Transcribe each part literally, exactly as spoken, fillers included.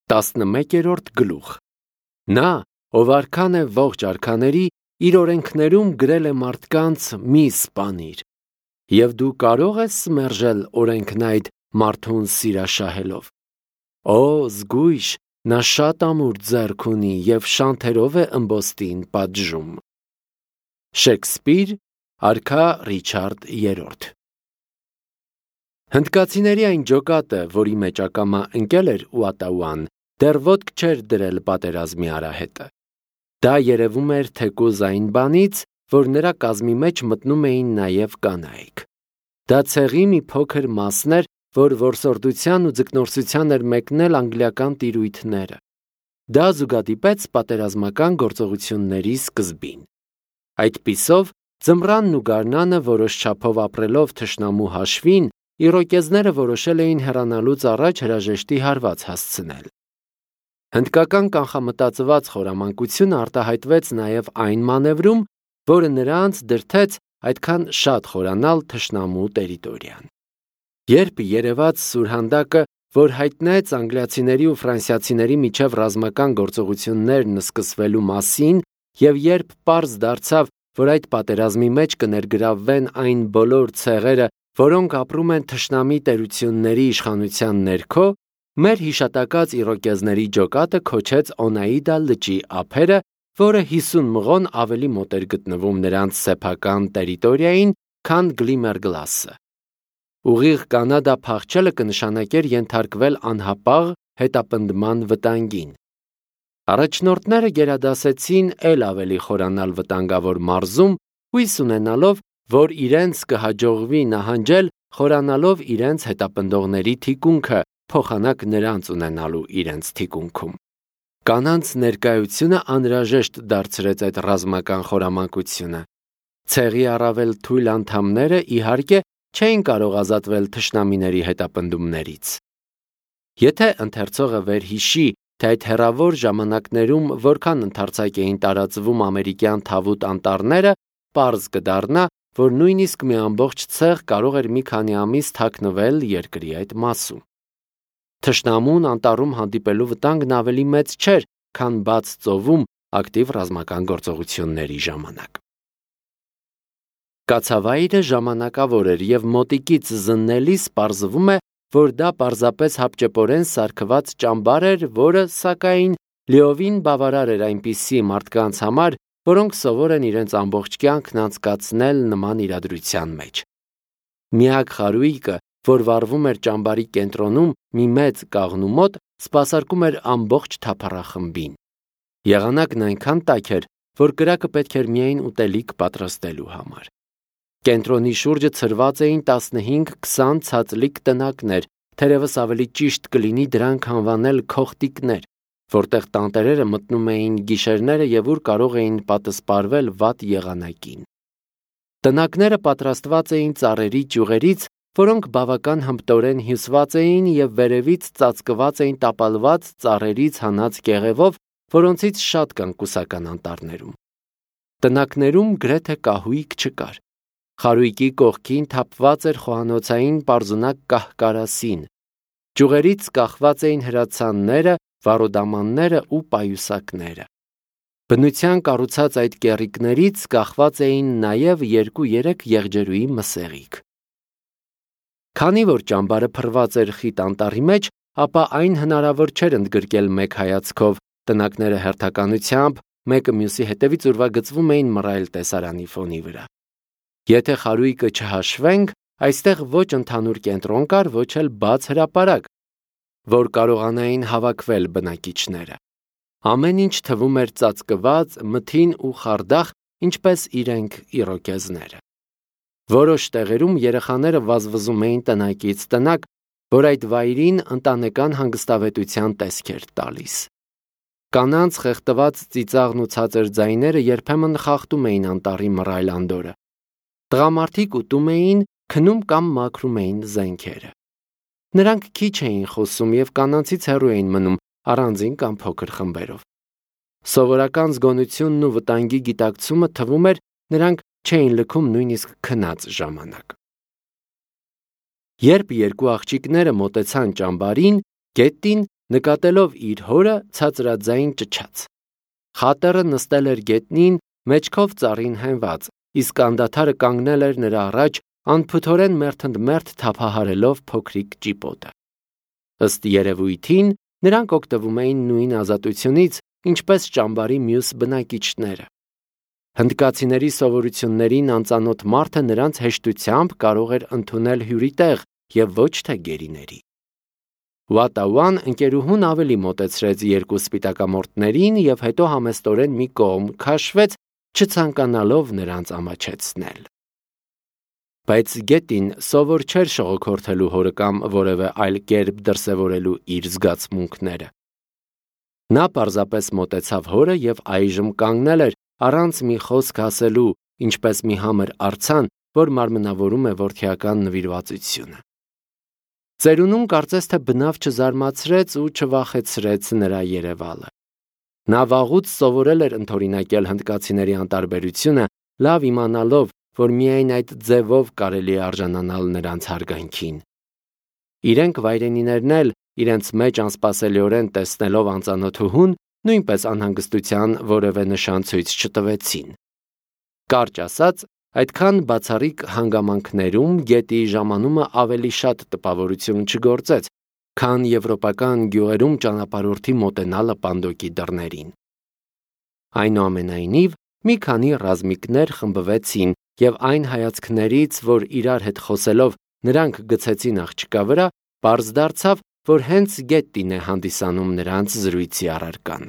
տասնմեկերորդ գլուխ։ Նա, ով արքան է ողջ արքաների, իր օրենքներում գրել է մարդկանց մի սպանիր։ Եվ դու կարող ես մերժել օրենքն այդ մարդուն սիրաշահելով։ Օ, զգույշ, նա շատ ամուր ձեռք ունի և շանթերով է ըմբոստին պատժում։ Շեքսպիր, արքա Ռիչարդ երրորդ։ Հնդկացիների այն ջոկատը, որի մեջ ակամա ընկել էր Ուատաուան, դեռ ոտք չէր դրել պատերազմի արահետը։ Դա երևում էր թեկուզ այն բանից, որ նրա կազմի մեջ մտնում էին նաև կանայք։ Դա ցեղի մի փոքր մասն էր, որ որսորդության ու ձկնորսության էր մեկնել անգլիական տիրույթները։ Դա զուգադիպեց պատերազմական գործողությունների սկզբին։ Այդպիսով, ձմռանն ու գարնանը որոշ չափով ապրելով թշնամու հաշվին, իրոկեզները որոշել էին հեռանալուց առաջ հրաժեշտի հարված հասցնել։ Հնդկական կանխամտածված խորամանկությունը արտահայտվեց նաև այն մանևրում, որը նրանց դրդեց այդքան շատ խորանալ թշնամու տերիտորիան։ Երբ երևաց սուրհանդակը, որ հայտնեց անգլիացիների ու ֆրանսիացիների միջև ռազմական գործողություններն սկսվելու մասին, և երբ պարզ դարձավ, որ այդ պատերազմի մեջ կներգրավվեն այն բոլոր ցեղերը, որոնք ապրում են թշնամի տերությունների իշխանության ներքո, մեր հիշատակած իրոկեզների ջոկատը քոչեց Օնեիդա լճի ափերը, որը հիսուն մղոն ավելի մոտ էր գտնվում նրանց սեփական տերիտորիային, քան Գլիմերգլասը։ Ուղիղ Կանադա փախչելը կնշանակեր ենթարկվել անհապաղ հետապնդման վտանգին։ Առաջնորդները գերադասեցին էլ ավելի խորանալ վտանգավոր մարզում, հույս ունենալով, որ իրենց կհաջողվի նահանջել, խորանալով իրենց հետապնդողների թիկունքը, փոխանակ նրանց ունենալու իրենց թիկունքում։ Կանանց ներկայությունը անհրաժեշտ դարձրեց այդ ռազմական խորամանկությունը։ Ցեղի առավել թույլ անդամները, իհարկե, չէին կարող ազատվել թշնամիների հետապնդումներից։ Եթե ընթերցողը վերհիշի, թե այդ հեռավոր ժամանակներում որքան ընդարձակ էին տարածվում ամերիկյան թավուտ անտառները, պարզ կդառնա, որ նույնիսկ մի ամբողջ ցեղ կարող էր մի քանի ամիս թաքնվել երկրի այդ մասում։ Թշնամուն անտառում հանդիպելու վտանգն ավելի մեծ չէր, քան բաց ծովում ակտիվ ռազմական գործողությունների ժամանակ։ Կացավայրը ժամանակավոր էր և մոտիկից զննելիս պարզվում է, որ դա պարզապես հապճեպորեն սարքված ճամբար էր, որը, սակայն, լիովին բավարար էր այնպիսի մարդկանց համար, որոնք սովոր են իրենց ամբողջ կյանքն անցկացնել նման իրադրության մեջ։ Միակ խարույկը, որ վառվում էր ճամբարի կենտրոնում մի մեծ կաղնու մոտ, սպասարկում էր ամբողջ թափառախմբին։ Եղանակն այնքան տաք էր, որ կրակը պետք էր միայն ուտելիք պատրաստելու համար։ Կենտրոնի շուրջը ցրված էին տասնհինգ-քսան ցածլիկ տնակներ, թերևս ավելի ճիշտ կլինի դրանք անվանել քոխտիկներ, որտեղ տանտերերը մտնում էին գիշերները և ուր կարող էին պատսպարվել վատ եղանակին։ Տնակները պատրաստված էին ծառերի ճյուղերից, որոնք բավական հմտորեն հյուսված էին և վերևից ծածկված էին տապալված ծառերից հանած կեղևով, որոնցից շատ կան կուսական անտառներում։ Տնակներում գրեթե կահույք չկար։ Խարույկի կողքին թափված էր խոհանոցային պարզունակ կահ-կարասին։ Ճյուղերից կախված էին հրացանները, վառոդամանները ու պայուսակները։ Բնության կառուցած այդ կեռիկներից կախված էին նաև երկու-երեք եղջերուի մսեղիկ։ Քանի որ ճամբարը փռված էր խիտ անտառի մեջ, ապա այն հնարավոր չէր ընդգրկել մեկ հայացքով, տնակները հերթականությամբ, մեկը մյուսի հետևից ուրվագծվում էին մռայլ տեսարանի ֆոնի վրա։ Եթե խարույկը չհաշվենք, այստեղ ոչ ընդհանուր կենտրոն կար, ոչ էլ բաց հրապարակ, որ կարողանային հավաքվել բնակիչները։ Ամեն ինչ թվում էր ծածկված, մթին ու խարդախ, ինչպես իրենք իրոկեզները։ Որոշ տեղերում երեխաները վազվզում էին տնակից տնակ, որ այդ վայրին ընտանեկան հանգստավետության տեսք էր տալիս։ Կանանց խեղդված ծիծաղն ու ցածր ձայները երբեմն խախտում էին անտառի մռայլ անդորրը։ Տղամարդիկ ուտում էին, քնում կամ մաքրում էին զենքերը։ Նրանք քիչ էին խոսում և կանանցից հեռու էին մնում, առանձին կամ փոքր խմբերով։ Սովորական զգոնությունն ու վտանգի գիտակցումը թվում էր, նրանք չէին լքում նույնիսկ քնած ժամանակ։ Երբ երկու աղջիկները մոտեցան ճամբարին, Գետտին նկատելով իր հորը ցածրաձայն ճչաց։ Խատերը նստել էր գետնին, մեջքով ծառին հենված, իսկ անդադարը կանգնել էր նրա առաջ, անփութորեն մերթընդմերթ թափահարելով փոքրիկ ճիպոտը։ Ըստ երևույթին, նրանք օգտվում էին նույն ազատությունից, ինչպես ճամբարի մյուս բնակիչները։ Հնդկացիների սովորություններին անծանոթ մարդը նրանց հեշտությամբ կարող էր ընդունել հյուրի տեղ և ոչ թե գերիների։ Ուատաուան ընկերուհուն ավելի մոտեցրեց երկու սպիտակամորթներին և հետո համեստորեն մի կողմ քաշվեց, չցանկանալով նրանց ամաչեցնել։ Բայց գետին սովոր չէր շողոքորթելու հորը կամ որևէ այլ կերպ դրսևորելու իր զգացմունքները։ Նա պարզապես մոտեցավ հորը և այժմ կանգնել էր, առանց մի խոսք ասելու, ինչպես մի համր արձան, որ մարմնավորում է որդիական նվիրվածությունը։ Ծերունուն կարծես թե բնավ չզարմացրեց ու չվախեցրեց նրա երևալը։ Նա վաղուց սովորել էր ընդօրինակել հնդկացիների անտարբերությունը, լավ իմանալով, որ միայն այդ ձևով կարելի է արժանանալ նրանց հարգանքին։ Իրենք վայրենիներն էլ, իրենց մեջ անսպասելիորեն տեսնելով անծանոթուհուն, նույնպես անհանգստության որևէ նշան ցույց չտվեցին։ Կարճ ասած, այդքան բացառիկ հանգամանքներում գետի ժամանումը ավելի շատ տպավորություն չգործեց, քան եվրոպական գյուղերում ճանապարհորդի մոտենալը պանդոկի դռներին։ Այնուամենայնիվ, մի քանի ռազմիկներ խմբվեցին և այն հայացքներից, որ իրար հետ խոսելով նրանք գցեցին աղջկա վրա, պարզ դարձավ, որ հենց գետին է հանդիսանում նրանց զրույցի առարկան։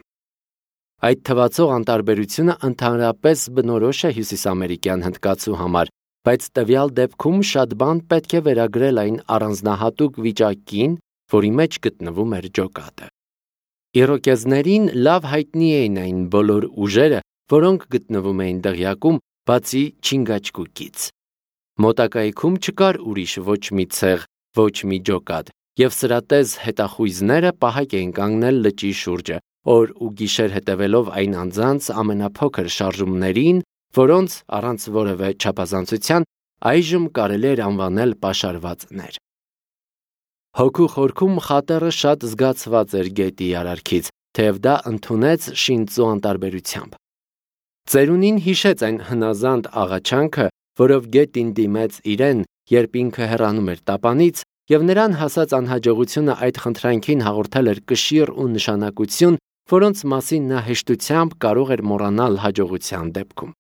Այդ թվացող անտարբերությունը ընդհանրապես բնորոշ է հյուսիսամերիկյան հնդկացու համար, բայց տվյալ դեպքում շատ բան պետք է վերագրել այն առանձնահատուկ վիճակին, որի մեջ գտնվում էր ջոկատը։ Իրոկեզներին լավ հայտնի էին այն բոլոր ուժերը, որոնք գտնվում էին դղյակում, բացի Չինգաչգուկից։ Մոտակայքում չկար ուրիշ ոչ մի ցեղ, ոչ մի ջոկատ, և սրատեզ հետախույզները պահակ էին կանգնել լճի շուրջը, օր ու գիշեր հետևելով այն անձանց ամենափոքր շարժումներին, որոնց առանց որևէ չափազանցության այժմ կարելի էր անվանել պաշարվածներ։ Հոգու խորքում խատերը շատ զգացված էր գետի արարքից, թեև դա ընդունեց շինծու անտարբերությամբ։ Ծերունին հիշեց այն հնազանդ աղաչանքը, որով գետին դիմեց իրեն, երբ ինքը հեռանում էր տապանից, և նրան հասած անհաջողությունը այդ խնդրանքին հաղորդել էր կշիռ ու նշանակություն, որոնց մասին նա հեշտությամբ կարող էր մոռանալ հաջողության դեպքում։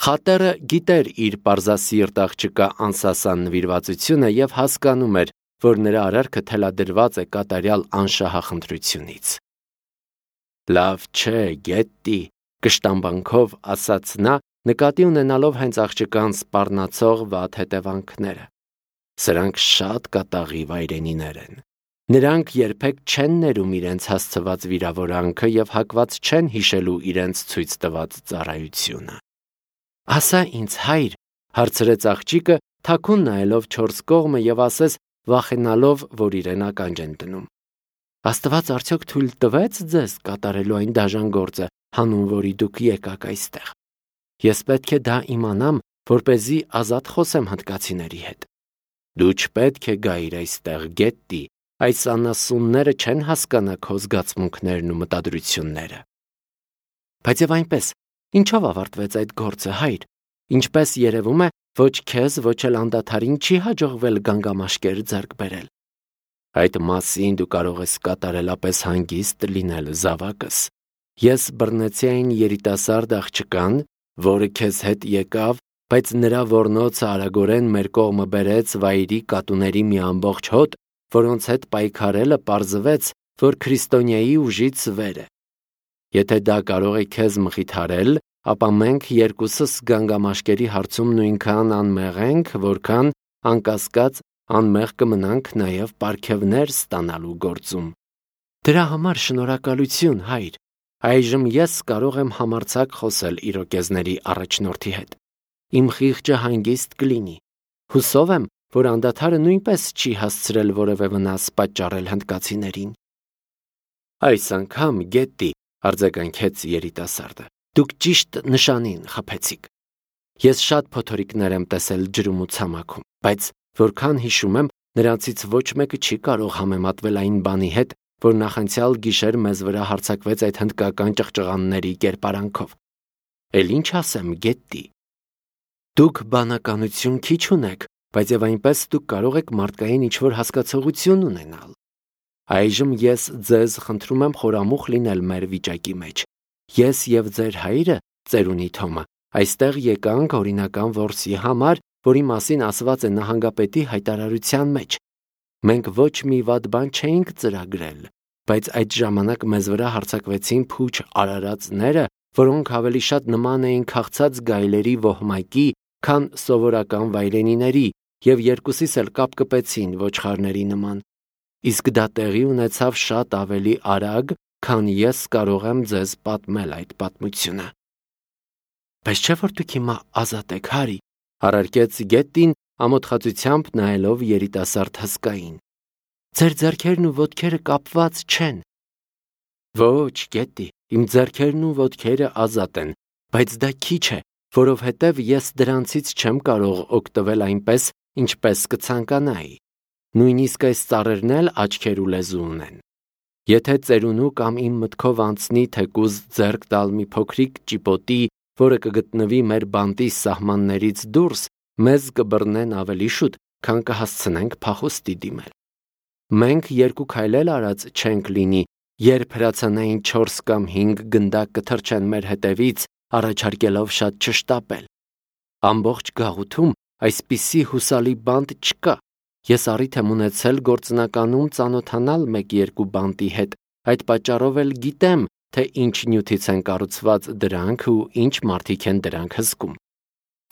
Խատերը գիտեր իր պարզասիրտ աղջկա անսասան նվիրվածությունը և հասկանում էր, որ նրա արարքը թելադրված է կատարյալ անշահախնդրությունից։ «Լավ չէ, Գետտի», կշտամբանքով ասաց նա, նկատի ունենալով հենց աղջկան սպառնացող վատ հետևանքները։ Սրանք շատ կատաղի վայրենիներ են։ Նրանք երբեք չեն ներում իրենց հասցված վիրավորանքը և հակված չեն հիշելու իրենց ցույց տված ծառայությունը։ «Ասա ինձ, հայր», հարցրեց աղջիկը, թաքուն նայելով չորս կողմը և ասես վախենալով, որ իրեն ականջ են դնում։ «Աստված արդյոք թույլ տվեց ձեզ կատարելու այն դաժան գործը, հանուն որի դուք եկաք այստեղ։ Ես պետք է դա իմանամ, որպեսզի ազատ խոսեմ հնդկացիների հետ։ Դու չպետք է գայիր այստեղ, Գետտի, այս անասունները չեն հասկանա քո զգացմունքներն ու մտադրությունները»։ «Բայց եւ այնպես, ինչով ավարտվեց այդ գործը, հայր։ Ինչպես երևում է, ոչ քեզ, ոչ էլ անդադարին չի հաջողվել գանգամաշկեր ձեռք բերել։ Այդ մասին դու կարող ես կատարելապես հանգիստ լինել, զավակս։ Ես բռնեցի այն երիտասարդ աղջկան, որը քեզ հետ եկավ, բայց նրա ոռնոցը արագորեն մեր կողմը բերեց վայրի կատուների մի ամբողջ հոտ, որոնց հետ պայքարելը պարզվեց, որ քրիստոնյայի ուժից վեր է։ Եթե դա կարող է քեզ մխիթարել, ապա մենք երկուսս գանգամաշկերի հարցում նույնքան անմեղ ենք, որքան, անկասկած, անմեղ կմնանք նաև պարգևներ ստանալու գործում։ Դրա համար շնորհակալություն, հայր։ Այժմ ես կարող եմ համարձակ խոսել իրոկեզների առաջնորդի հետ։ Իմ խիղճը հանգիստ կլինի։ Հուսով եմ, որ անդադարը նույնպես չի հասցրել որևէ վնաս պատճառել հնդկացիներին։ Այս անգամ, Գետտի, արձագանքեց երիտասարդը, դուք ճիշտ նշանին խփեցիք։ Ես շատ փոթորիկներ եմ տեսել ջրում ու ցամաքում, բայց որքան հիշում եմ, նրանցից ոչ մեկը չի կարող համեմատվել այն բանի հետ, որ նախանցյալ գիշեր մեզ վրա հարձակվեց այդ հնդկական ճղճղանների կերպարանքով։ Էլ ինչ ասեմ, Գետտի։ Դուք բանականություն քիչ ունեք, բայց եւ այնպես դուք կարող եք մարդկային ինչ-որ հասկացողություն ունենալ։ Այժմ ես ձեզ խնդրում եմ խորամուխ լինել մեր վիճակի մեջ։ Ես եւ ձեր հայրը, ծերունի Թոմը, այստեղ եկանք օրինական որսի համար, որի մասին ասված է նահանգապետի հայտարարության մեջ։ Մենք ոչ մի վատ բան չէինք ծրագրել, բայց այդ ժամանակ մեզ վրա հարձակվեցին փուչ արարածները, որոնք ավելի շատ նման էին քաղցած գայլերի ոհմակի, քան սովորական վայրենիների, եւ երկուսիս էլ կապ կպեցին ոչխարների նման։ Իսկ դա տեղի ունեցավ շատ ավելի արագ, քան ես կարող եմ ձեզ պատմել այդ պատմությունը։ Բայց չէ՞ որ դուք հիմա ազատ եք, Հարի, առարկեց Գետտին ամոթխածությամբ նայելով երիտասարդ հսկային։ Ձեր ձեռքերն ու ոտքերը կապված չեն։ Ոչ, Գետտի, իմ ձեռքերն ու ոտքերը ազատ են, բայց դա քիչ է, որովհետև ես դրանցից չեմ կարող օգտվել այնպես, ինչպես կցանկանայի։ Նույնիսկ այս ծառերն էլ աչքեր ու լեզու ունեն։ Եթե ծերունու կամ իմ մտքով անցնի թեկուզ ձեռք տալ մի փոքրիկ ճիպոտի, որը կգտնվի մեր բանտի սահմաններից դուրս, մեզ կբռնեն ավելի շուտ, քան կհասցնենք փախուստի դիմել։ Մենք երկու քայլ էլ արած չենք լինի, երբ հրացանային չորս կամ հինգ գնդակ կթռչեն մեր հետևից, առաջարկելով շատ չշտապել։ Ամբողջ գաղութում այսպիսի հուսալի բանտ չկա։ Ես առիթ եմ ունեցել գործնականում ծանոթանալ մեկ-երկու բանտի հետ, այդ պատճառով էլ գիտեմ, թե ինչ նյութից են կառուցված դրանք ու ինչ մարդիկ են դրանք հսկում։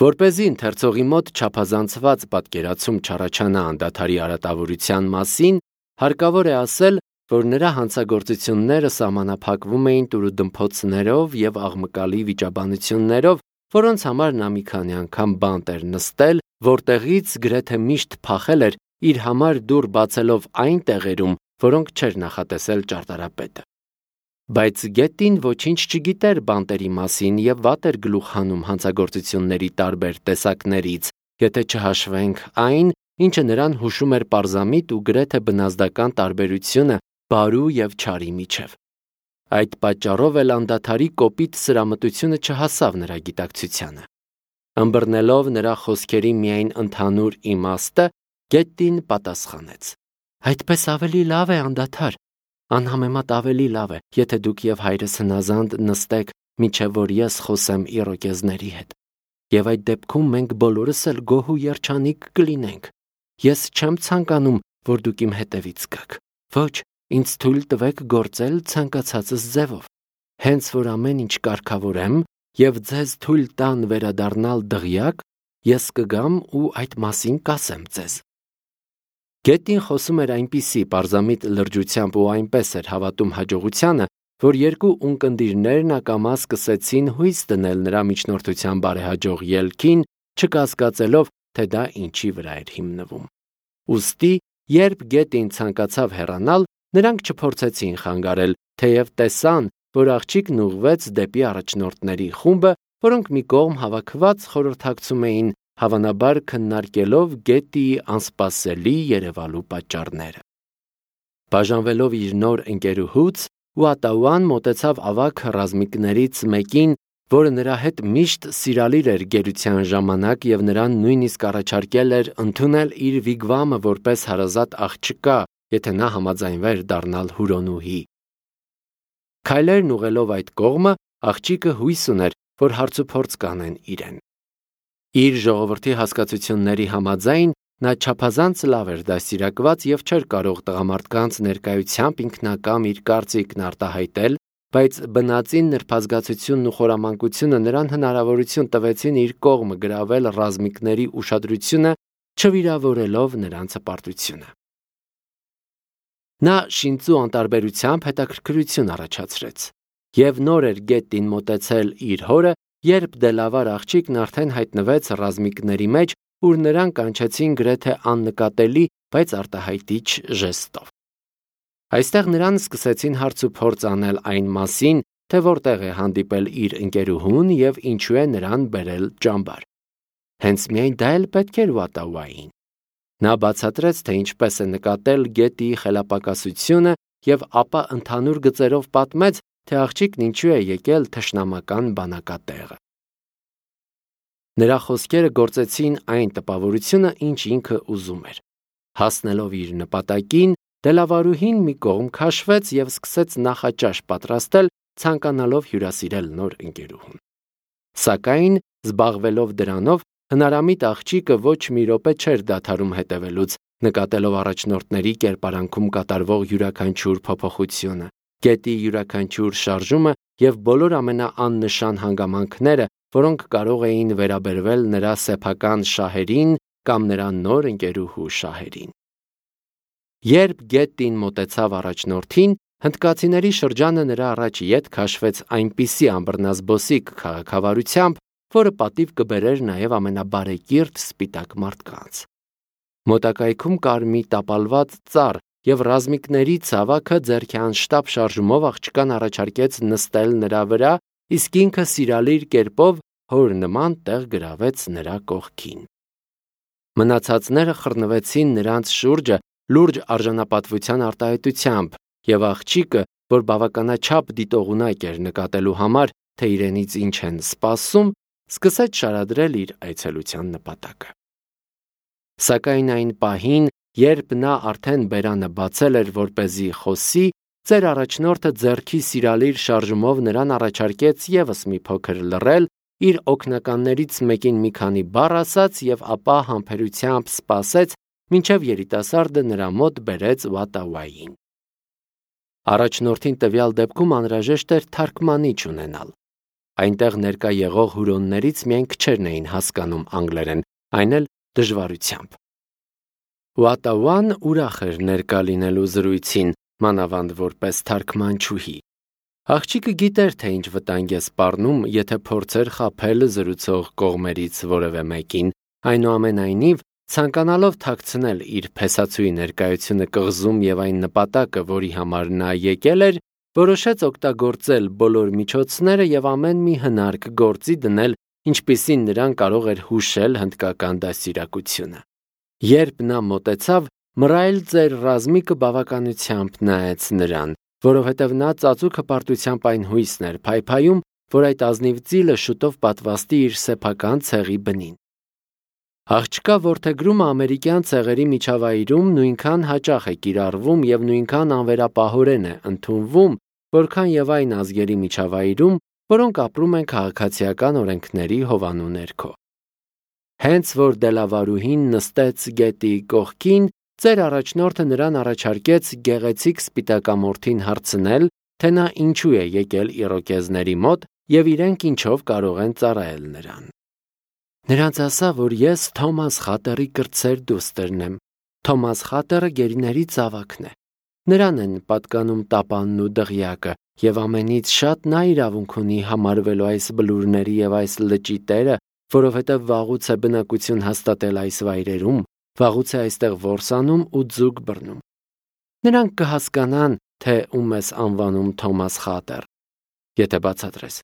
Որպեսզի ընթերցողի մոտ չափազանցված պատկերացում չառաջանա անդադարի արատավորության մասին, հարկավոր է ասել, որ նրա հանցագործությունները սահմանափակվում էին տուրուդմփոցներով եւ աղմկալի վիճաբանություններով, որոնց համար նա մի քանի անգամ բանտ էր նստել, որտեղից գրեթե միշտ փախել էր իր համար դուռ բացելով այն տեղերում, որոնք չէր նախատեսել ճարտարապետը։ Բայց Գետտին ոչինչ չգիտեր բանտերի մասին եւ վատ էր գլուխ հանում հանցագործությունների տարբեր տեսակներից, եթե չհաշվենք այն, ինչը նրան հուշում էր պարզամիտ ու գրեթե բնազդական տարբերությունը բարու եւ չարի միջև։ Այդ պատճառով էլ անդադարի կոպիտ սրամտությունը չհասավ նրա գիտակցությանը։ Ըմբռնելով նրա խոսքերի միայն ընդհանուր իմաստը, Գետտին պատասխանեց. Այդպես ավելի լավ է, անդադար, անհամեմատ ավելի լավ է, եթե դուք եւ հայրս հնազանդ նստեք, մինչեւ որ ես խոսեմ իրոկեզների հետ։ Եվ այդ դեպքում մենք բոլորս էլ գոհ ու երջանիկ կլինենք։ Ես չեմ ցանկանում, որ դուք իմ հետևից գաք։ Ոչ, ինձ թույլ տվեք գործել ցանկացածս ձևով։ Հենց որ ամեն ինչ կարգավորեմ եւ ձեզ թույլ տան վերադառնալ դղյակ, ես կգամ ու այդ մասին կասեմ ձեզ։ Գետտին խոսում էր այնպիսի պարզամիտ լրջությամբ ու այնպես էր հավատում հաջողությանը, որ երկու ունկնդիրներն ակամա սկսեցին հույս դնել նրա միջնորդության բարեհաջող ելքին, չկասկածելով, թե դա ինչի վրա էր հիմնվում։ Ուստի, երբ Գետտին ցանկացավ հեռանալ, նրանք չփորձեցին խանգարել, թեև տեսան, որ աղջիկն ուղղվեց դեպի առաջնորդների խումբը, որոնք մի կողմ հավաքված խորհրդակցում էին, հավանաբար քննարկելով Գետտիի անսպասելի երևալու պատճառները։ Բաժանվելով իր նոր ընկերուհուց, Ուատաուան մոտեցավ ավագ ռազմիկներից մեկին, որը նրա հետ միշտ սիրալիր էր գերության ժամանակ եւ նրան նույնիսկ առաջարկել էր ընդունել իր վիգվամը որպես հարազատ աղջկա, եթե նա համաձայնվեր դառնալ հուրոնուհի։ Քայլերն ուղղելով այդ կողմը, աղջիկը հույս ուներ, որ հարցուփորձ կանեն իրեն։ Իր ժողովրդի հասկացությունների համաձայն նա չափազանց լավ էր դաստիարակված եւ չէր կարող տղամարդկանց ներկայությամբ ինքնակամ իր կարծիքն արտահայտել, բայց բնածին նրբազգացությունն ու խորամանկությունը նրան հնարավորություն տվեցին իր կողմը գրավել ռազմիկների ուշադրությունը, չվիրավորելով նրանց հպարտությունը։ Նա շինծու անտարբերությամբ հետաքրքրություն առաջացրեց, եւ նոր էր Գետտին մոտեցել իր հորը, երբ դելավար աղջիկն արդեն հայտնվեց ռազմիկների մեջ, ուր նրան կանչեցին գրեթե աննկատելի, բայց արտահայտիչ ժեստով։ Այստեղ նրան սկսեցին հարց ու փորձ անել այն մասին, թե որտեղ է հանդիպել իր ընկերուհուն եւ ինչու է նրան բերել ճամբար։ Հենց միայն դա էլ պետք էր Ուատաուային։ Նա բացատրեց, թե ինչպես է նկատել Գետտիի խելապակասությունը եւ ապա ընդհանուր գծերով պատմեց, թե աղջիկն ինչու է եկել թշնամական բանակատեղը։ Նրա խոսքերը գործեցին այն տպավորությունը, ինչ ինքը ուզում էր։ Հասնելով իր նպատակին, դելավարուհին մի կողմ քաշվեց եւ սկսեց նախաճաշ պատրաստել, ցանկանալով հյուրասիրել նոր ընկերուհուն։ Սակայն, զբաղվելով դրանով, հնարամիտ աղջիկը ոչ մի րոպե չէր դադարում հետևելուց, նկատելով առաջնորդների կերպարանքում կատարվող յուրաքանչյուր փոփոխությունը, գետի յուրաքանչյուր շարժումը եւ բոլոր ամենաաննշան հանգամանքները, որոնք կարող էին վերաբերվել նրա սեփական շահերին կամ նրա նոր ընկերուհու շահերին։ Երբ գետին մոտեցավ առաջնորդին, հնդկացիների շրջանը նրա առաջ ետ քաշվեց այնպիսի ամբռնազբոսիկ քաղաքավարությամբ, որը պատիվ կբերեր նաև ամենաբարեկիրթ սպիտակ մարդկանց։ Մոտակայքում կար մի տապալված ծառ, եւ ռազմիկների ցավաքը ձեռքի անշտապ շարժումով աղջկան առաջարկեց նստել նրա վրա, իսկ ինքը սիրալիր կերպով հոր նման տեղ գրավեց նրա կողքին։ Մնացածները խռնվեցին նրանց շուրջը լուրջ արժանապատվության արտահայտությամբ, եւ աղջիկը, որ բավականաչափ դիտողունակ էր նկատելու համար, թե իրենից ինչ են սպասում, սկսեց շարադրել իր այցելության նպատակը։ Սակայն այն պահին, երբ նա արդեն բերանը բացել էր, որպեսզի խոսի, ծեր առաջնորդը ձեռքի սիրալիր շարժումով նրան առաջարկեց եւս մի փոքր լռել, իր օգնականներից մեկին մի քանի բառ ասաց եւ ապա համբերությամբ սպասեց, մինչև երիտասարդը նրա մոտ բերեց Վատավային։ Առաջնորդին տվյալ դեպքում անհրաժեշտ էր թարգմանիչ ունենալ։ Այնտեղ ներկա եղող հուրոններից միայն քչերն էին հասկանում անգլերեն, այն էլ դժվարությամբ։ Վատավան ուրախ էր ներկա լինելու զրույցին, մանավանդ որպես թարգմանչուհի։ Աղջիկը գիտեր, թե ինչ վտանգ է սպառնում, եթե փորձեր խաբել զրուցող կողմերից որևէ մեկին, այնուամենայնիվ, ցանկանալով թաքցնել իր փեսացուի ներկայությունը կղզում եւ այն նպատակը, որի համար նա եկել էր, որոշեց օգտագործել բոլոր միջոցները եւ ամեն մի հնարք գործի դնել, ինչպիսին նրան կարող էր հուշել հնդկական դաստիարակությունը։ Երբ նա մոտեցավ, մռայլ ծեր ռազմիկը բավականությամբ նայեց նրան, որովհետև նա ծածուկ հպարտությամբ այն հույսն էր փայփայում, որ այդ ազնիվ ծիլը շուտով պատվաստի իր սեփական ցեղի բնին։ Աղջկա որդեգրումը ամերիկյան ցեղերի միջավայրում նույնքան հաճախ է կիրառվում եւ նույնքան անվերապահորեն է ընդունվում, որքան եւ այն ազգերի միջավայրում, որոնք ապրում են քաղաքացիական օրենքների հովանու ներքո։ Հենց որ դելավարուհին նստեց գետի կողքին, ծեր առաջնորդը նրան առաջարկեց գեղեցիկ սպիտակամորթին հարցնել, թե նա ինչու է եկել իրոկեզների մոտ եւ իրենք ինչով կարող են ծառայել նրան։ Նրանց ասա, որ ես Թոմաս Խատերի կրտսեր դուստերն եմ։ Թոմաս Խատերը գերիների ծավակն է։ Նրան են պատկանում տապանն ու դղյակը, եւ ամենից շատ նա իրավունք ունի համարվելու այս բլուրների եւ այս լճի տերը, որովհետեւ վաղուց է բնակություն հաստատել այս վայրերում, վաղուց է այստեղ որսանում ու ձուկ բռնում։ Նրանք կհասկանան, թե ում ես անվանում Թոմաս Խատեր, եթե բացատրես։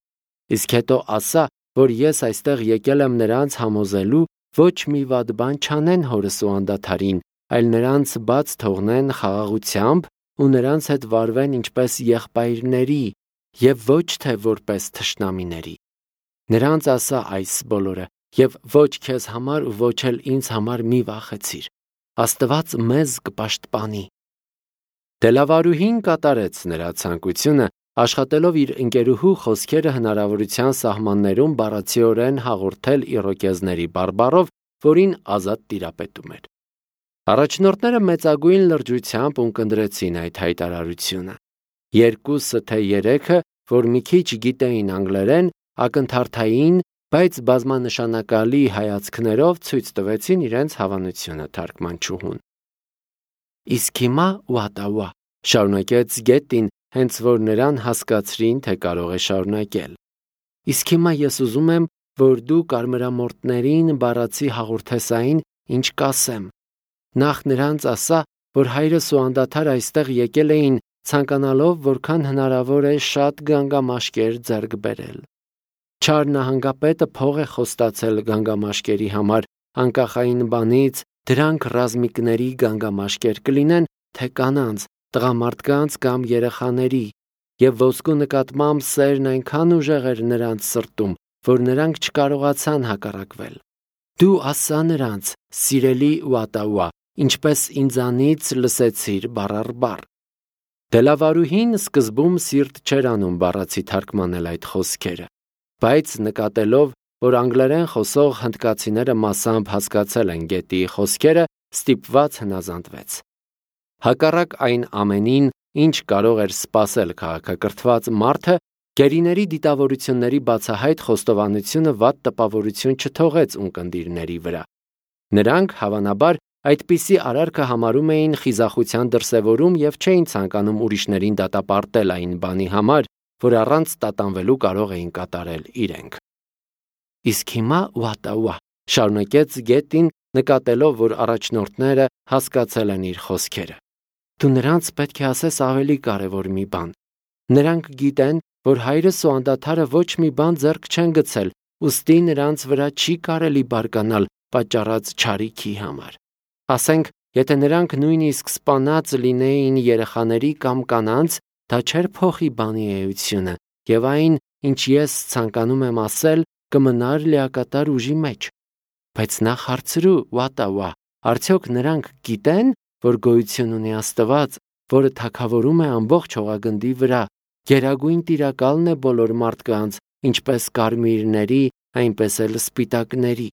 Իսկ հետո ասա, որ ես այստեղ եկել եմ նրանց համոզելու ոչ մի վատ բան չանեն հորս ու անդադարին, այլ նրանց բաց թողնեն խաղաղությամբ ու նրանց հետ վարվեն ինչպես եղբայրների եւ ոչ թե որպես թշնամիների։ Նրանց ասա այս բոլորը եւ ոչ քեզ համար ու ոչ էլ ինձ համար մի վախեցիր։ Աստված մեզ կպաշտպանի։ Դելավարուհին կատարեց նրա ցանկությունը, աշխատելով իր ընկերուհու խոսքերը հնարավորության սահմաններում բառացիորեն հաղորդել իրոկեզների բարբառով, որին ազատ տիրապետում էր։ Առաջնորդները մեծագույն լրջությամբ ունկնդրեցին այդ հայտարարությունը։ Երկուսը թե երեքը, որ մի քիչ գիտեին անգլերեն, ակնթարթային, բայց բազմանշանակալի հայացքներով ցույց տվեցին իրենց հավանությունը թարգմանչուհուն։ Իսկ հիմա Վատավա, շարունակեց Գետին, հենց որ նրան հասկացրին, թե կարող է շարունակել։ Իսկ հիմա ես ուզում եմ, որ դու կարմրամորտներին բառացի հաղորդես այն, ինչ կասեմ։ Նախ նրանց ասա, որ հայրս ու անդադար այստեղ եկել էին, ցանկանալով, որքան հնարավոր է շատ գանգամաշկեր ձեռք բերել։ Չար նահանգապետը փող է խոստացել գանգամաշկերի համար, անկախ այն բանից, դրանք ռազմիկների գանգամաշկեր կլինեն, թե կանանց, տղամարդկանց կամ երեխաների, եւ ոսկու նկատմամբ սերն այնքան ուժեղ էր նրանց սրտում, որ նրանք չկարողացան հակառակվել։ Դու ասա նրանց, սիրելի Ուատաուա, ինչպես ինձանից լսեցիր բառ առ բառ։ Դելավարուհին սկզբում սիրտ չէր անում բառացի թարգմանել այդ խոսքերը, բայց նկատելով, որ անգլերեն խոսող հնդկացիները մասամբ հասկացել են գետի խոսքերը, ստիպված հնազանդվեց։ Հակառակ այն ամենին, ինչ կարող էր սպասել քաղաքակրթված մարդը, գերիների դիտավորությունների բացահայտ խոստովանությունը վատ տպավորություն չթողեց ունկնդիրների վրա։ Նրանք, հավանաբար, այդպիսի արարքը համարում էին խիզախության դրսևորում եւ չէին ցանկանում ուրիշներին դատապարտել այն բանի համար, որ առանց տատանվելու կարող էին կատարել իրենք։ Իսկ հիմա Ուատաուա շարունակեց գետին, նկատելով, որ առաջնորդները հասկացել են իր խոսքերը։ Դու նրանց պետք է ասես ավելի կարևոր մի բան։ Նրանք գիտեն, որ հայրս ու անդադարը ոչ մի բան ձեռք չեն գցել, ուստի նրանց վրա չի կարելի բարկանալ պատճառած չարիքի համար։ Ասենք, եթե նրանք նույնիսկ սպանած լինեին երեխաների կամ կանանց, դա չէր փոխի բանի էությունը, եւ այն, ինչ ես ցանկանում եմ ասել, կմնար լիակատար ուժի մեջ։ Բայց նախ հարցրու, Ուատաուա, արդյոք նրանք գիտեն, որ գոյություն ունի Աստված, որը թագավորում է ամբողջ հողագնդի վրա, գերագույն տիրակալն է բոլոր մարդկանց, ինչպես կարմիրների, այնպես էլ սպիտակների։